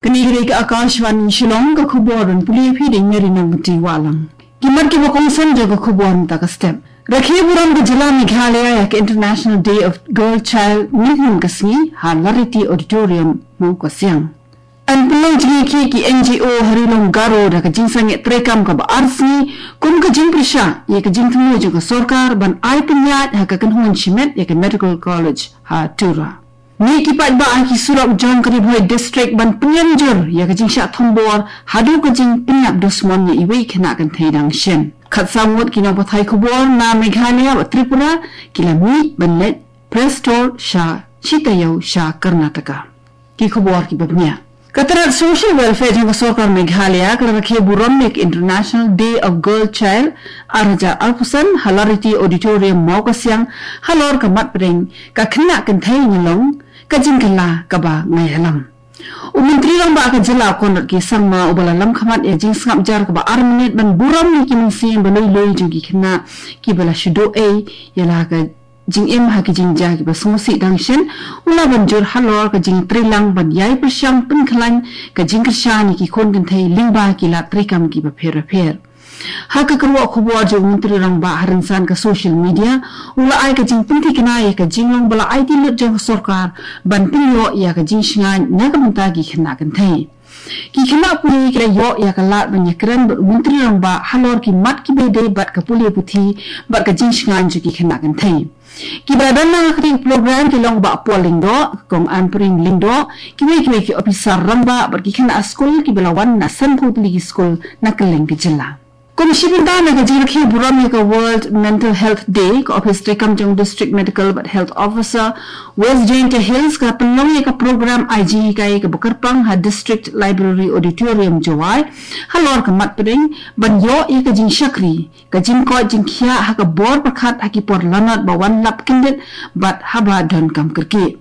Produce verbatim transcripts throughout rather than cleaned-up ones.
Kane ka dei ka Akashvani Shillong, ka khubor ban pule phi da i Mary Nongkynrih Wahlang. Ki mat kiba kongsan jong ka khubor mynta ka step. Rakhe burom ka jylla Meghalaya ïa ka International Day of Girl Child mynhynnin ka sngi ha Lariti Auditorium, Mawkasiang. Yn pynlong jingïakhih ki N G O ha Ri Lum Garo da ka jingsangeh treikam kaba ar sngi kum ka jingpyrshah ïa ka jingthmu jong ka sorkar ban ai pynïaid ha ka kynhun shimet ïa ka Medical College ha Tura. Mih ki paidbah ha ki surok jong ka Ri Bhoi District ban pynïap jur ïa ka jingshah thombor haduh ka jingpynïap dusmon ïa iwei i khynnah kynthei dang shen. Khatsaw ngut ki nongpathai khubor na Meghalaya bad Tripura ki la mih ban leit press tour sha shi taïew sha Karnataka. Ki khubor kiba bniah. Ka tnat Social Welfare jong ka sorkar Meghalaya ka la rakhe burom ïa ka International Day of Girl Child ar hajar arphew san ha Lariti Auditorium, Mawkasiang, halor ka mat pdeng Ka Khynnah Kynthei Nga Long, Ka Jingkylla Kaba Nga Ïalam. U Myntri Rangbah ka jylla, Conrad K Sangma, uba la lam khmat ïa ka jingsngap jar kaba ar minit ban burom ïa ki mynsiem ba lui lui jong ki khynnah kiba la shu duh ei ïa la ka jingim ha ki jingjia kiba sngewsih dang shen, u la ban jur halor ka jingtreilang ban ïai pyrshang pynkhlaiñ ka jingkyrshan ïa ki khun kynthei lyngba ki lad treikam kiba pher bapher. Ha ka kyrwoh khubor jong u Myntri Rangbah ha rynsan ka social media, u la ai ka jingpynthikna ïa ka jinglong ba la aiti lut jong ka sorkar ban pynïoh ïa ka jingshngaiñ na ka bynta ki khynnah kynthei. Ki khynnah pule ki la ïoh ïa ka lad ban ïakren bad u Myntri Rangbah halor ki mat kiba ïadei bad ka pule puthi bad ka jingshngaiñ jong ki khynnah kynthei. Kiba la don ha kane ka program ki long Bah Paul Lyngdoh, Kong Ampareen Lyngdoh, kiwei kiwei ki ophisar rangbah bad ki khynnah skul kiba la wan na sanphew tylli ki skul na kylleng ka jylla. Kum shi bynta na ka jingrakhe burom ïa ka World Mental Health Day, ka ophis treikam jong District Medical bad Health Officer West Jaiñtia Hills ka la pynlong ïa ka program ai jinghikai kaba kyrpang ha District Library Auditorium, Jowai, halor ka mat pdeng ban ïoh ïa ka jingshakri, ka jingkoit jingkhiah ha ka bor pyrkhat ha ki por lanot ba wan lap kyndit bad haba donkam kyrkieh.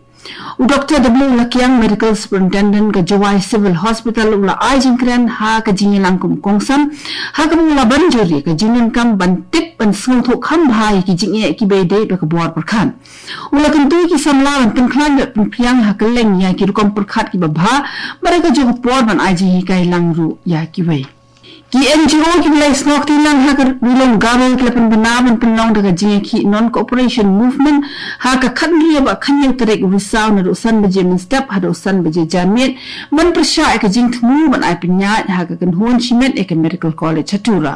U Doktor W Lakiang, Medical Superintendent ka Jowai Civil Hospital, u la ai jingkren ha ka jingïalang kum u kongsan ha kaba u la ban jur ïa ka jingdonkam ban tip ban sngewthuh kham bha ïa ki jingeh kiba ïadei bad ka bor pyrkhat. U la kyntu ïa ki samla ban pynkhlaiñ bad pynphriang ha kylleng ïa ki rukom pyrkhat kiba bha bad ha kajuh ka por ban ai jinghikai lang ruh ïa kiwei. Ki N G O kiba la ïasnoh kti lang ha ka Ri Lum Garo ki la pynbna ban pynlong da ka jingïakhih Non-Cooperation Movement ha ka khathynriew bad khathynñiew tarik u Risaw naduh san baje mynstep haduh san baje janmiet ban pyrshah ïa ka jingthmu ban ai pynïaid ha ka kynhun shimet ïa ka Medical College ha Tura.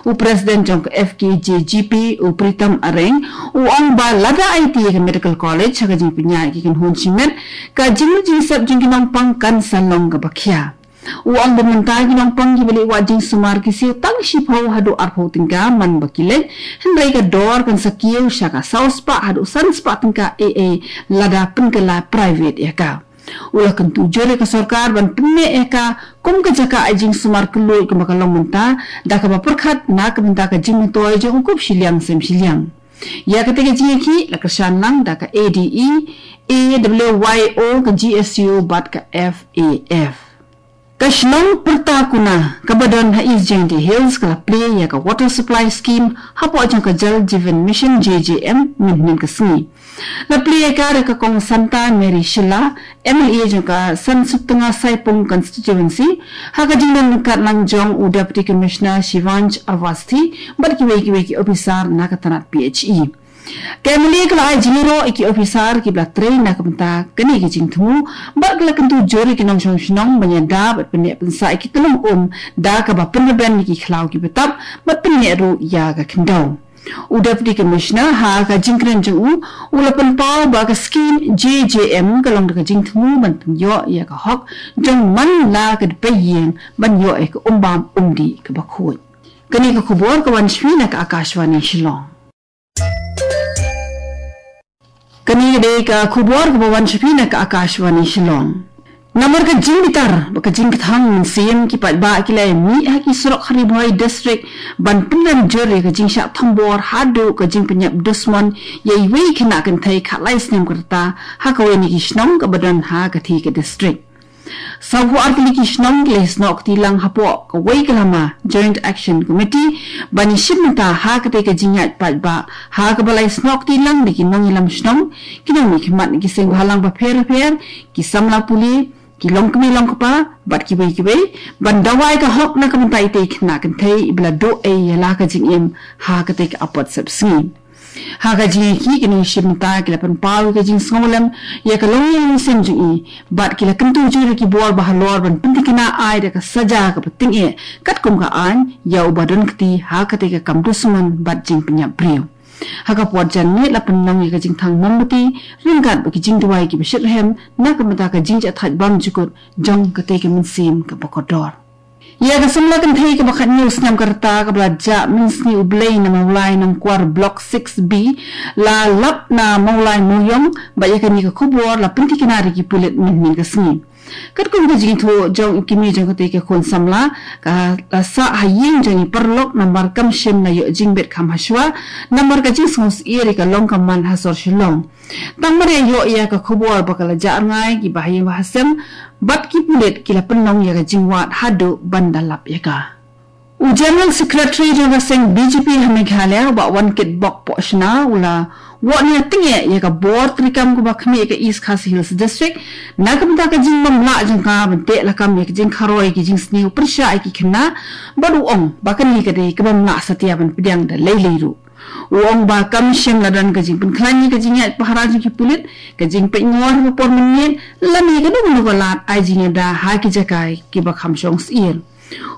U President jong ka F K J G P, u Pritam Areng, u ong ba lada aiti ïa ka Medical College ha ka jingpynïaid ïa ka kynhun shimet, ka jingmut jingsep jong ki nongpang kan sa long kaba khia. U ong ba mynta ki nongpang kiba leit wad jingsumar ki siew tang shiphew haduh arphew tyngka man ba ki leit, hynrei ka dor kan sa kiew sha ka saw spah haduh san spah tyngka ei ei lada pynkylla private ïa ka. U la kyntu jur ïa ka sorkar ban pynneh ïa ka kum ka jaka ai jingsumar kylluid kumba ka long mynta, da kaba pyrkhat na ka bynta ka jingmyntoi jong u kup shiliang sem shiliang. Ïa katei ka jingïakhih la kyrshan lang da ka A D E, A W Y O, ka G S U bad ka F A F. Ka shnong Pyrta Kuna kaba don ha East Jaintia Hills ka la plie ïa ka Water Supply Scheme hapoh jong ka Jal Jeevan Mission, J J M, mynhynnin ka sngi. La plie ïa ka da ka Kong Santa Mary Shylla, M L A jong ka San Sutnga Saipung Constituency, ha ka jingdon ryngkat lang jong u Deputy Commissioner Shivansh Awasthi bad kiwei kiwei ki ophisar na ka tnat P H E. Ka M L A ka la ai jingïaroh ïa ki ophisar kiba la trei na ka bynta kane ka jingthmu bad ka la kyntu jur ïa ki nongshong shnong ban ïada bad pynneh pynsah ïa ki tyllong um da kaba pynrben ïa ki khlaw ki btap bad pynneh ruh ïa ka khyndew. U Deputy Commissioner ha ka jingkren jong u, u la pynpaw ba ka skim J J M ka long da ka jingthmu ban pynïoh ïa ka hok jong man la ka dpei ïing ban ïoh ïa ka um bam um dih kaba khuid. Kane ka khubor ka wan sha phi na ka Akashvani Shillong. Kane ka dei ka khubor kaba wan sha phi na ka Akashvani Shillong. Namar ka jingbitar bad ka jingkthang mynsiem, ki paidbah ki la mih ha ki surok ha Ri Bhoi District ban pynrem jur ïa ka jingshah thombor haduh ka jingpynïap dusmon ïa iwei i khynnah kynthei khatlai snem ka rta ha kawei na ki shnong kaba don ha katei ka district. Sawphew ar tylli ki shnong ki la ïasnoh kti lang hapoh kawei ka lama Joint Action Committee ban ïashim bynta ha katei ka jingïaid paidbah, ha kaba la ïasnoh kti lang da ki nongïalam shnong, ki nongmihkhmat na ki seng bhalang bapher bapher, ki samla pule, ki longkmie longkpa bad kiwei kiwei ban dawa ïa ka hok na ka bynta ita i khynnah kynthei iba la duh ei ïa la ka jingim ha katei ka apot sepsngi. Ha ka jingïakhih, ki nongshim bynta ki la pynpaw ïa ka jingsngewlem ïa ka longïing longsem jong i bad ki la kyntu jur ïa ki bor ba halor ban pynthikna ai da ka saja kaba tyngeh katkum ka aiñ ïa uba don kti ha katei ka kam dusmon bad jingpynïap briew. Ha ka por janmiet la pynlong ïa ka jingthang mombati ryngkat bad ki jingduwai kiba shitrhem na ka bynta ka jingjahthait bymjukut jong katei ka mynsiem kaba kordor. Ïa ka samla kynthei kaba khathynñiew snem ka rta kaba la jah mynsngi U Blei na Mawlai Nongkwar Block six B la lap na Mawlai Mawiong bad ïa kane ka khubor la pynthikna da ki pulit mynhynnin ka sngi. Katkum ka jingïathuh jong i kmie jong katei ka khun samla, ka la sah ha ïing jong i paralok namar kam shym la ïoh jingbit kham hashwa namar ka jingsngewsyier ïa ka long ka man ha sor Shillong. Tang mar ïa ïoh ïa ka khubor ba ka la jah rngai kiba ha ïing ba ha sem bad ki pulit ki la pynlong ïa ka jingwad haduh ban da lap ïa ka. U General Secretary jong ka seng B J P ha Meghalaya, u Bah Wankitbok Pohshna, u la wad nia tyngeh ïa ka bor treikam kaba khmih ïa ka East Khasi Hills District na ka bynta ka jingbymlah jong ka ban teh lakam ïa ka jingkharoi ki jingsniew pyrshah ïa ki khynnah bad u ong ba kane ka dei ka bymlah satia ban pdiang da lei lei ruh. U ong ba kam shym la don ka jingpynkhlaiñ ïa ka jingïaid pahara jong ki pulit, ka jingpeit ngor ha ka por mynmiet lane kano kano ka lad ai jingïada ha ki jaka kiba kham shong syier.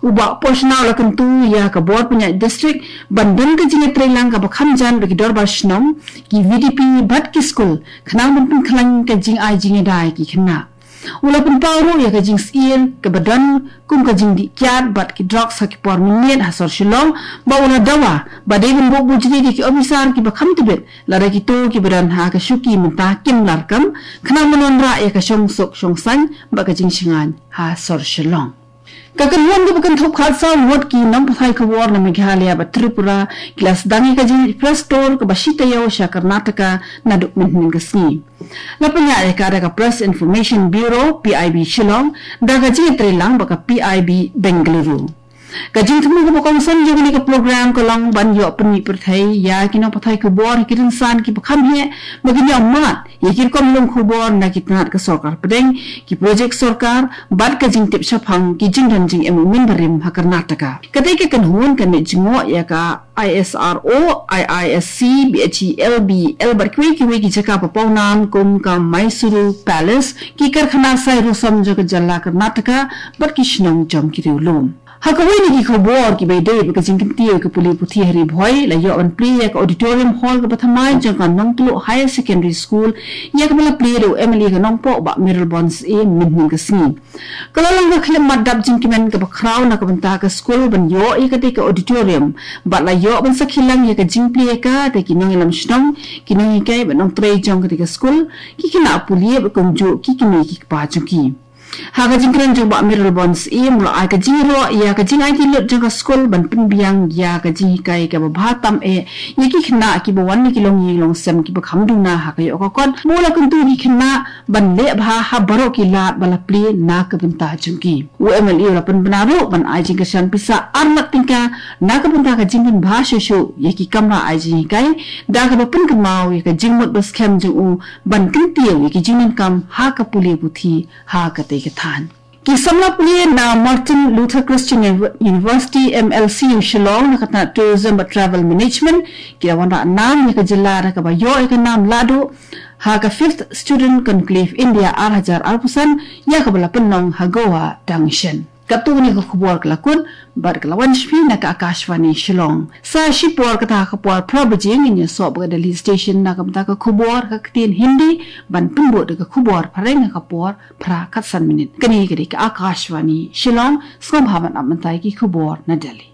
U Bah Pohshna u la kyntu ïa ka bor pynïaid district ban don ka jingïatreilang kaba kham jan bad ki dorbar shnong, ki V D P bad ki skul khnang ban pynkhlaiñ ka jingai jingïada ïa ki khynnah. U la pynpaw ruh ïa ka jingsyier kaba don kum ka jingdih kiad bad ki drugs ha ki por mynmiet ha sor Shillong, bad u la dawa ba dei ban buh bujli da ki ophisar kiba kham tbit, lada kito kiba don ha ka shuki mynta kim lah kam, khnang ban wanrah ïa ka shongsuk shongsaiñ bad ka jingshngaiñ ha sor Shillong. Ka kynhun kaba kynthup khatsaw ngut ki nongpathai khubor na Meghalaya bad Tripura ki la sdang ïa ka jingïaid press tour kaba shi taïew sha Karnataka naduh mynhynnin ka sngi. La pynïaid ïa ka da ka Press Information Bureau, P I B Shillong, da ka jingïatreilang bad ka P I B Bengaluru. Ka jingthmu kaba kongsan jong kane ka program ka long ban ïoh pynmih pyrthei ïa ki nongpathai khubor ha ki rynsan kiba kham heh ba kin ïoh mad ïa ki rukom lum khubor na ki tnat ka sorkar pdeng, ki projek sorkar bad ka jingtip shaphang ki jingdon jingem u mynbarim ha Karnataka. Katei ka kynhun kan leit jngoh ïa ka I S R O, I I S C, B H E L, B E L bad kiwei kiwei ki jaka ba pawnam kum ka Mysuru Palace, ki karkhana sai rusom jong ka jylla Karnataka bad ki shnong jong ki riewlum. Ha kawei na ki khubor kiba ïadei bad ka jingkyntiew ka pule puthi ha Ri Bhoi, la ïoh ban plie ïa ka auditorium hall kaba thymmai jong ka Nongtluh Higher Secondary School, ïa kaba la plie da u M L A ka Nongpoh Bah Mayralborn Syiem mynhynnin ka sngi. Ka la long ka khyllipmat dap jingkmen kaba khraw na ka bynta ka skul ban ïoh ïa katei ka auditorium bad la ïoh ban sakhi lang ïa ka jingplie ka da ki nongïalam shnong, ki nonghikai bad nongtrei jong katei ka skul, ki khynnah pule bad kumjuh ki kmie ki kpa jong ki. Ha ka jingkren jong Bah Mayralborn Syiem u la ai ka jingïaroh ïa ka jingaiti lut jong ka skul ban pynbiang ïa ka jinghikai kaba bha tam eh ïa ki khynnah kiba wan na ki longïing longsem kiba kham duna ha ka ïoh ka kot, bad u la kyntu ïa ki khynnah ban leh bha ha baroh ki lad ba la plie na ka bynta jong ki. U M L A u la pynbna ruh ban ai jingkyrshan pisa ar lak tyngka na ka bynta ka jingpynbha shuh shuh ïa ki kamra ai jinghikai, da kaba pynkynmaw ïa ka jingmut ba skhem jong u ban kyntiew ïa ki jingdonkam ha ka pule puthi ha katei ka thaiñ. Ki samla pule na Martin Luther Christian University, M L C U, Shillong, na ka tnat Tourism bad Travel Management, ki la wanrah nam ïa ka jylla da kaba ïoh ïa ka nam lahduh ha ka Fifth Student Conclave India ar hajar arphew san, ïa kaba la pynlong ha Goa dang shen. Katto katne ka khubor ka la kut bad ka la wan sha phi na ka Akashvani Shillong. Sa shipor kata ha ka por phra baje ngin ïasoh bad ka Delhi Station na ka bynta ka khubor ha ka ktien Hindi, ban pynbud da ka khubor phareng ha ka por phra khatsan minit. Kane ka dei ka Akashvani Shillong, sngewbha ban ap mynta ïa ki khubor na Delhi.